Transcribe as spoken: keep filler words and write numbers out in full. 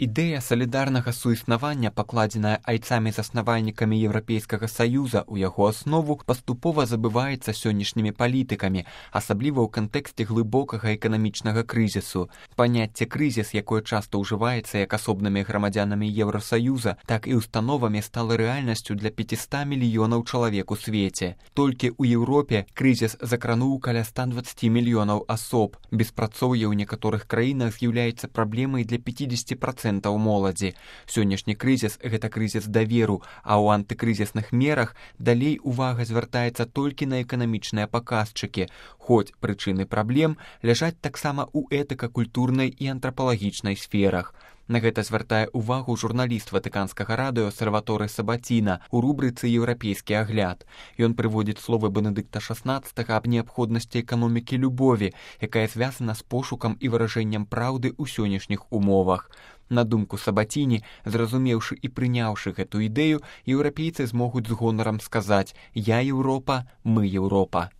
Ідэя салідарнага суіснавання, пакладзеная айцамі-заснавальнікамі Еўрапейскага Саюза ў яго аснову, паступова забываецца сённяшнімі палітыкамі, асабліва ў кантэксце глыбокага эканамічнага крызісу. Паняцце крызіс, якое часта ўжываецца як асобнымі грамадзянамі Еўрасаюза, так і установамі стала рэальнасцю для пяцісот мільёнаў чалавек у свеце. Толькі ў Еўропе крызіс закрануў каля ста дваццаці мільёнаў асоб. Беспрацоўе ў некаторых краінах з'яўляецца праблемай для пяцідзесяці працэнтаў моладзі. Сённяшні крызіс – гэта крызіс даверу, а ў антыкрызісных мерах далей увага звяртаецца толькі на эканамічныя паказчыкі, хоць прычыны праблем ляжаць таксама ў этыка-культурнай і антрапалагічнай сферах. На гэта звяртае ўвагу журналіст Ватыканскага радыё Сальваторэ Сабаціна ў рубрыцы «Еўрапейскі агляд». Ён прыводзіць словы Бенедыкта шаснаццатага аб неабходнасці эканомікі любові, якая звязана з пошукам і выражэннем праўды ў сённяшніх умовах. На думку Сабаціні, зразумеўшы і прыняўшы гэту ідэю, еўрапейцы змогуць з гонарам сказаць «Я Еўропа, мы Еўропа».